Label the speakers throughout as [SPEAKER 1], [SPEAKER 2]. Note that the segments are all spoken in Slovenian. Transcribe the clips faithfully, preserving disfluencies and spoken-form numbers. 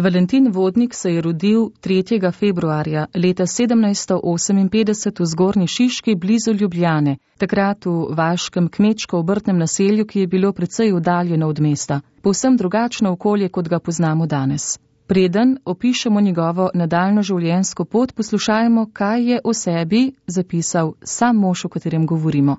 [SPEAKER 1] Valentin Vodnik se je rodil tretjega februarja leta sedemnajststo oseminpetdeset v Zgornji Šiški blizu Ljubljane, takrat v vaškem kmečko-obrtnem naselju, ki je bilo precej oddaljeno od mesta, povsem drugačno okolje, kot ga poznamo danes. Preden opišemo njegovo nadaljnjo življenjsko pot, poslušajmo, kaj je o sebi zapisal sam mož, o katerem govorimo.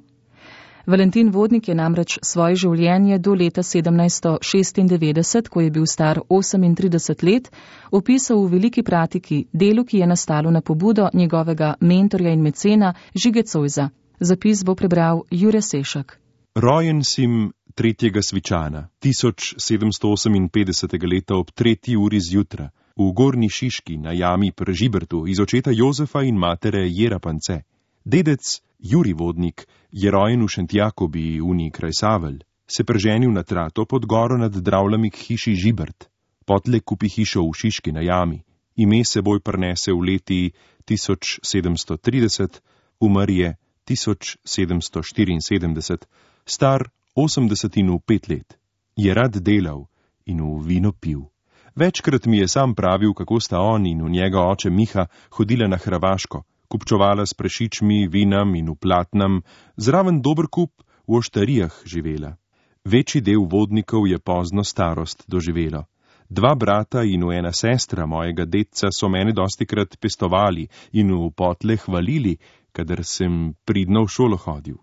[SPEAKER 1] Valentin Vodnik je namreč svoje življenje do leta sedemnajststo šestindevetdeset, ko je bil star osemintrideset let, opisal v Veliki pratiki, delu, ki je nastalo na pobudo njegovega mentorja in mecena Žige Zoisa. Zapis bo prebral Jure Sešak.
[SPEAKER 2] Rojen sim tretjega Svičana, tisoč sedemsto oseminpetdesetega leta ob tretji uri zjutra, v Gornji Šiški na jami pri Žibertu iz očeta Jozefa in matere Jera Pance. Dedec Juri Vodnik je rojen v Šentjakobi, uni kraj Savelj, se preženil na trato pod goro nad Dravljami k hiši Žibert. Potle kupi hišo v Šiški na jami, ime seboj prenese v leti tisoč sedemsto trideset, umr je tisoč sedemsto štiriinsedemdeset, star osemdeset in pet let. Je rad delal in v vino pil. Večkrat mi je sam pravil, kako sta on in v njega oče Miha hodila na Hrvaško, kupčovala s prešičmi, vinam in v platnem, zraven dober kup v oštarijah živela. Večji del Vodnikov je pozno starost doživelo. Dva brata in ena sestra mojega dedca so mene dostikrat pestovali in v potle hvalili, kadar sem pridno v šolo hodil.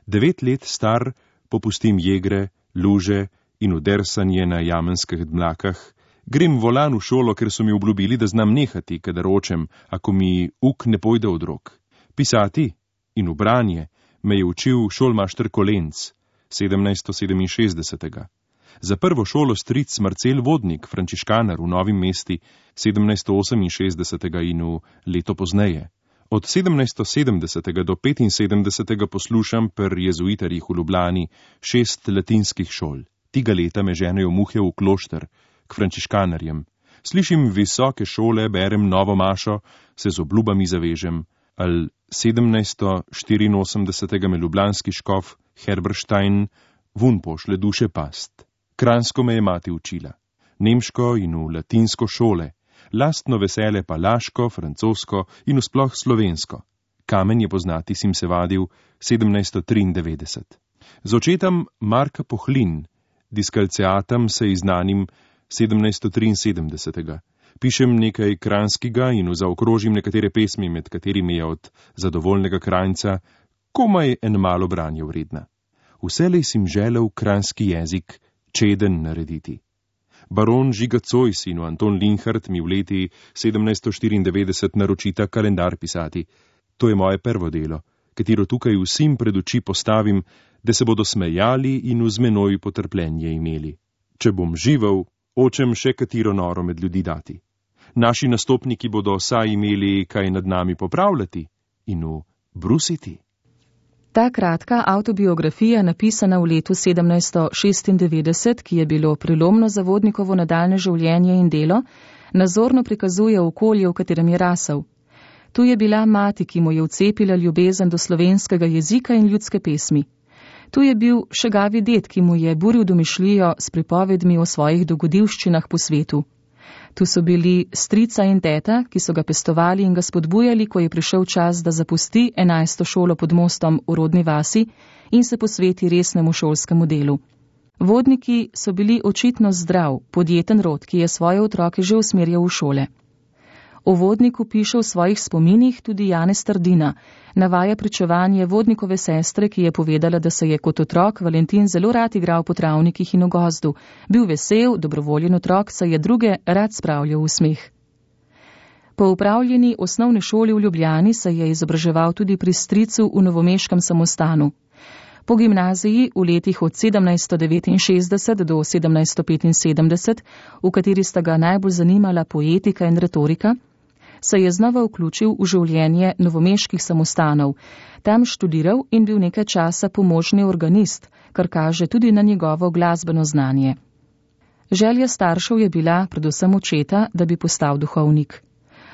[SPEAKER 2] Devet let star popustim jegre, luže in udersanje na jamenskih dmlakah. Grem volan v šolo, ker so mi obljubili, da znam nehati, kadar očem, ako mi uk ne pojde od rok. Pisati in v branje me je učil šolmašter Kolenc, sedemnajststo sedeminšestdesetega. Za prvo šolo stric Marcel Vodnik, frančiškanar v Novem mesti, sedemnajststo oseminšestdesetega in v leto pozneje. Od sedemnajststo sedemdesetega do petinsedemdesetega poslušam per jezuitarjih v Ljubljani šest latinskih šol. Tiga leta me ženejo muhe v klošter, k frančiškanarjem. Slišim visoke šole, berem novo mašo, se z obljubami zavežem. Al sedemnajststo štiriinosemdesetega me ljubljanski škof Herberstein vun pošle duše past. Kranjsko me je mati učila, nemško in v latinsko šole, lastno vesele pa laško, francosko in vsploh slovensko. Kamen je poznati sim se vadil sedemnajststo triindevetdeset. Z očetom Marka Pohlin, diskalceatam se iznanim sedemnajststo triinsedemdesetega. Pišem nekaj kranjskega in zaokrožim nekatere pesmi, med katerimi je od zadovoljnega Kranjca komaj en malo branje vredna. Vselej sim želel kranjski jezik čeden narediti. Baron Žiga Zois in Anton Linhart mi v leti sedemnajststo štiriindevetdeset naročita kalendar pisati. To je moje prvo delo, katero tukaj vsim pred oči postavim, da se bodo smejali in v zmenoj potrpljenje imeli. Če bom živel, očem še katero noro med ljudi dati. Naši nastopniki bodo saj imeli kaj nad nami popravljati in v brusiti.
[SPEAKER 1] Ta kratka avtobiografija, napisana v letu sedemnajststo šestindevetdeset, ki je bilo prelomno za Vodnikovo nadaljne življenje in delo, nazorno prikazuje okolje, v katerem je rasel. Tu je bila mati, ki mu je vcepila ljubezen do slovenskega jezika in ljudske pesmi. Tu je bil šegavi ded, ki mu je buril domišljijo s pripovedmi o svojih dogodivščinah po svetu. Tu so bili strica in teta, ki so ga pestovali in ga spodbujali, ko je prišel čas, da zapusti enajsto šolo pod mostom v rodni vasi in se posveti resnemu šolskemu delu. Vodniki so bili očitno zdrav, podjeten rod, ki je svoje otroke že usmerjal v šole. O Vodniku piše v svojih spominih tudi Janez Trdina, navaja pričevanje Vodnikove sestre, ki je povedala, da se je kot otrok Valentin zelo rad igral po travnikih in v gozdu, bil vesel, dobrovoljen otrok, saj je druge rad spravljal v smeh. Po upravljeni osnovni šoli v Ljubljani se je izobraževal tudi pri stricu v novomeškem samostanu. Po gimnaziji v letih od sedemnajststo devetinšestdeset do sedemnajststo petinsedemdeset, v kateri sta ga najbolj zanimala poetika in retorika, se je znova vključil v življenje novomeških samostanov, tam študiral in bil nekaj časa pomožni organist, kar kaže tudi na njegovo glasbeno znanje. Želja staršev je bila, predvsem očeta, da bi postal duhovnik.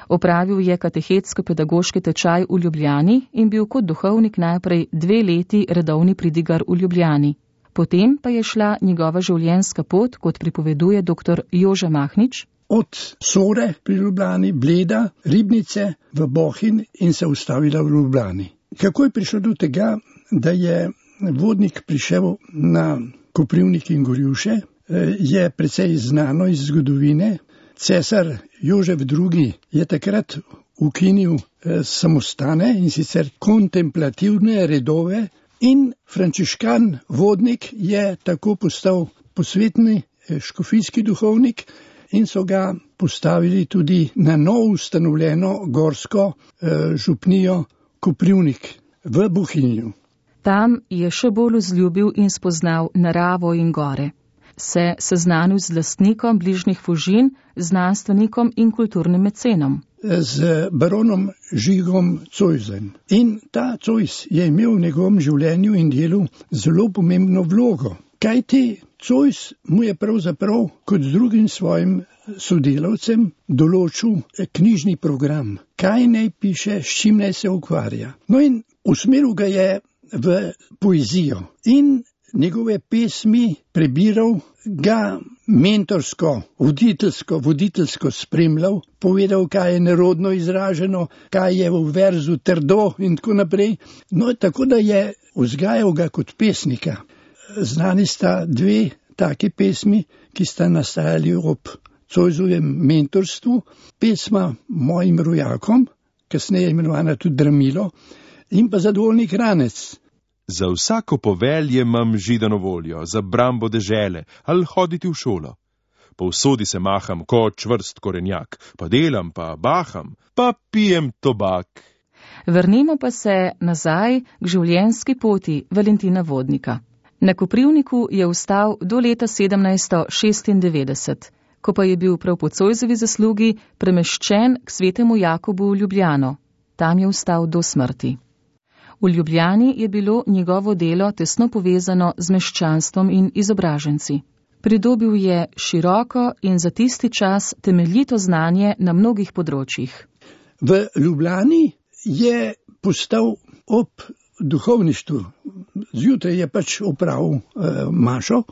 [SPEAKER 1] Opravil je katehetsko-pedagoški tečaj v Ljubljani in bil kot duhovnik najprej dve leti redovni pridigar v Ljubljani. Potem pa je šla njegova življenjska pot, kot pripoveduje dr. Jože Mahnič,
[SPEAKER 3] od Sore pri Ljubljani, Bleda, Ribnice v Bohinj in se ustavila v Ljubljani. Kako je prišlo do tega, da je Vodnik prišel na Koprivnik in Gorjuše, je precej znano iz zgodovine. Cesar Jožef drugi. je takrat ukinil samostane in sicer kontemplativne redove in frančiškan Vodnik je tako postal posvetni škofijski duhovnik in so ga postavili tudi na novo ustanovljeno gorsko župnijo Koprivnik v Bohinju.
[SPEAKER 1] Tam je še bolj vzljubil in spoznal naravo in gore. Se seznanil z lastnikom bližnjih Fužin, znanstvenikom in kulturnim mecenom.
[SPEAKER 3] Z baronom Žigom Zoisem. In ta Zois je imel v njegovem življenju in delu zelo pomembno vlogo. Kajti Zois mu je pravzaprav kot drugim svojim sodelavcem določil knjižni program, kaj naj piše, s čim naj se ukvarja. No in usmeril ga je v poezijo in njegove pesmi prebiral, ga mentorsko, voditeljsko, voditeljsko spremljal, povedal, kaj je nerodno izraženo, kaj je v verzu trdo in tako naprej. No, tako da je vzgajal ga kot pesnika. Znani sta dve take pesmi, ki sta nastajali ob Zoisovem mentorstvu. Pesma Mojim rojakom, kasneje imenovana tudi Dramilo, in pa Zadovoljni kranec.
[SPEAKER 2] Za vsako povelje imam židano voljo, za brambo dežele ali hoditi v šolo. Povsodi se maham kot čvrst korenjak, pa delam, pa baham, pa pijem tobak.
[SPEAKER 1] Vrnimo pa se nazaj k življenjski poti Valentina Vodnika. Na Koprivniku je ostal do leta sedemnajststo šestindevetdeset, ko pa je bil prav po Zoisovi zaslugi premeščen k svetemu Jakobu v Ljubljano. Tam je ostal do smrti. V Ljubljani je bilo njegovo delo tesno povezano z meščanstvom in izobraženci. Pridobil je široko in za tisti čas temeljito znanje na mnogih področjih.
[SPEAKER 3] V Ljubljani je postal ob duhovništvu. Zjutraj je pač opravil eh, mašo,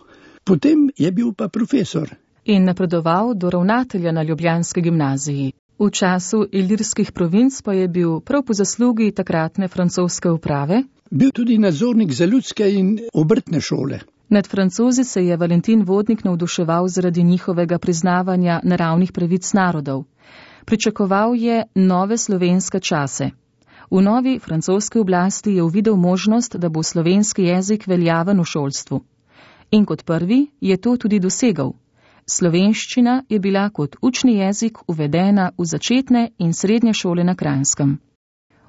[SPEAKER 3] potem je bil pa profesor.
[SPEAKER 1] In napredoval do ravnatelja na ljubljanski gimnaziji. V času ilirskih provinc pa je bil prav po zaslugi takratne francoske uprave
[SPEAKER 3] bil tudi nadzornik za ljudske in obrtne šole.
[SPEAKER 1] Nad Francozi se je Valentin Vodnik navduševal zaradi njihovega priznavanja naravnih pravic narodov. Pričakoval je nove slovenske čase. V novi francoski oblasti je uvidel možnost, da bo slovenski jezik veljaven v šolstvu. In kot prvi je to tudi dosegal. Slovenščina je bila kot učni jezik uvedena v začetne in srednje šole na Kranjskem.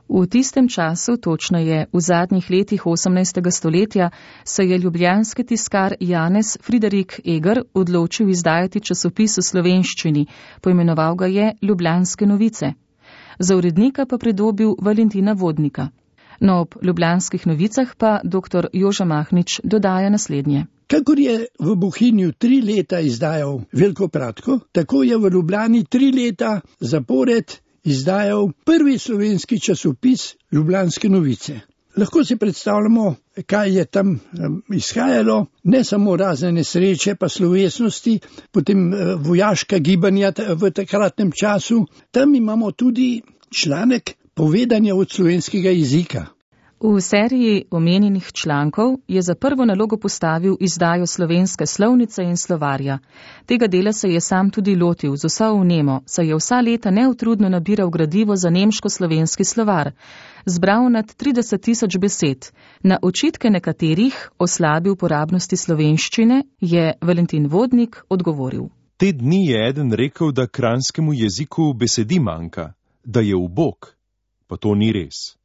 [SPEAKER 1] V tistem času, točneje v zadnjih letih osemnajstega stoletja, se je ljubljanski tiskar Janez Friderik Eger odločil izdajati časopis v slovenščini, poimenoval ga je Ljubljanske novice. Za urednika pa pridobil Valentina Vodnika. No, ob Ljubljanskih novicah pa dr. Joža Mahnič dodaja naslednje.
[SPEAKER 3] Kakor je v Bohinju tri leta izdajal Veljko Pratko, tako je v Ljubljani tri leta zapored izdajal prvi slovenski časopis Ljubljanske novice. Lahko si predstavljamo, kaj je tam izhajalo, ne samo razne nesreče, pa slovesnosti, potem vojaška gibanja v takratnem času. Tam imamo tudi članek povedanja od slovenskega jezika.
[SPEAKER 1] V seriji omenjenih člankov je za prvo nalogo postavil izdajo slovenske slovnice in slovarja. Tega dela se je sam tudi lotil z vso vnemo, saj je vsa leta neutrudno nabiral gradivo za nemško-slovenski slovar. Zbral nad trideset tisoč besed. Na očitke nekaterih o slabi uporabnosti slovenščine je Valentin Vodnik odgovoril.
[SPEAKER 2] Te dni je eden rekel, da kranjskemu jeziku besedi manjka, da je ubog, pa to ni res.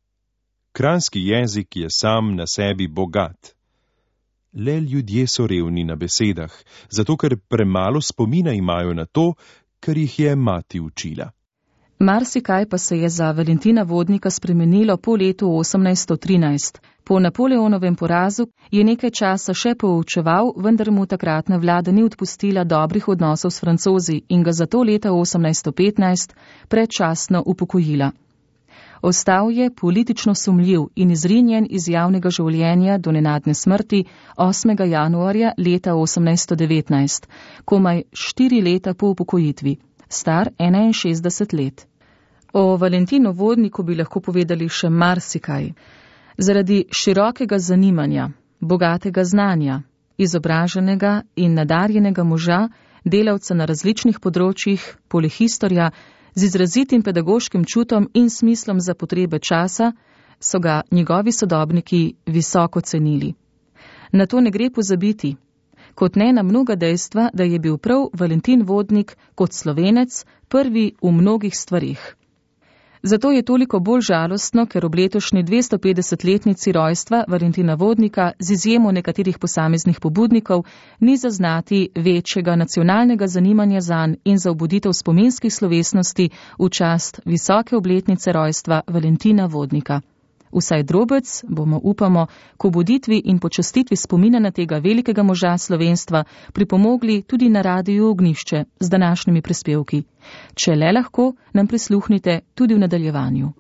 [SPEAKER 2] Kranjski jezik je sam na sebi bogat. Le ljudje so revni na besedah, zato ker premalo spomina imajo na to, kar jih je mati učila.
[SPEAKER 1] Marsikaj pa se je za Valentina Vodnika spremenilo po letu osemnajststo trinajst. Po Napoleonovem porazu je nekaj časa še poučeval, vendar mu takratna vlada ni odpustila dobrih odnosov s Francozi in ga zato leta osemnajststo petnajst predčasno upokojila. Ostal je politično sumljiv in izrinjen iz javnega življenja do nenadne smrti osmega januarja leta osemnajststo devetnajst, komaj štiri leta po upokojitvi. star enainšestdeset let. O Valentinu Vodniku bi lahko povedali še marsikaj. Zaradi širokega zanimanja, bogatega znanja, izobraženega in nadarjenega moža, delavca na različnih področjih, polihistorja, z izrazitim pedagoškim čutom in smislom za potrebe časa, so ga njegovi sodobniki visoko cenili. Na to ne gre pozabiti, kot ne na mnoga dejstva, da je bil prav Valentin Vodnik kot Slovenec prvi v mnogih stvarih. Zato je toliko bolj žalostno, ker ob letošnji dvestopetdesetletnici rojstva Valentina Vodnika z izjemo nekaterih posameznih pobudnikov ni zaznati večjega nacionalnega zanimanja zanj in za obuditev spominskih slovesnosti v čast visoke obletnice rojstva Valentina Vodnika. Vsaj drobec bomo, upamo, k obuditvi in počastitvi spomina na tega velikega moža slovenstva pripomogli tudi na Radiu Ognjišče z današnjimi prispevki. Če le lahko, nam prisluhnite tudi v nadaljevanju.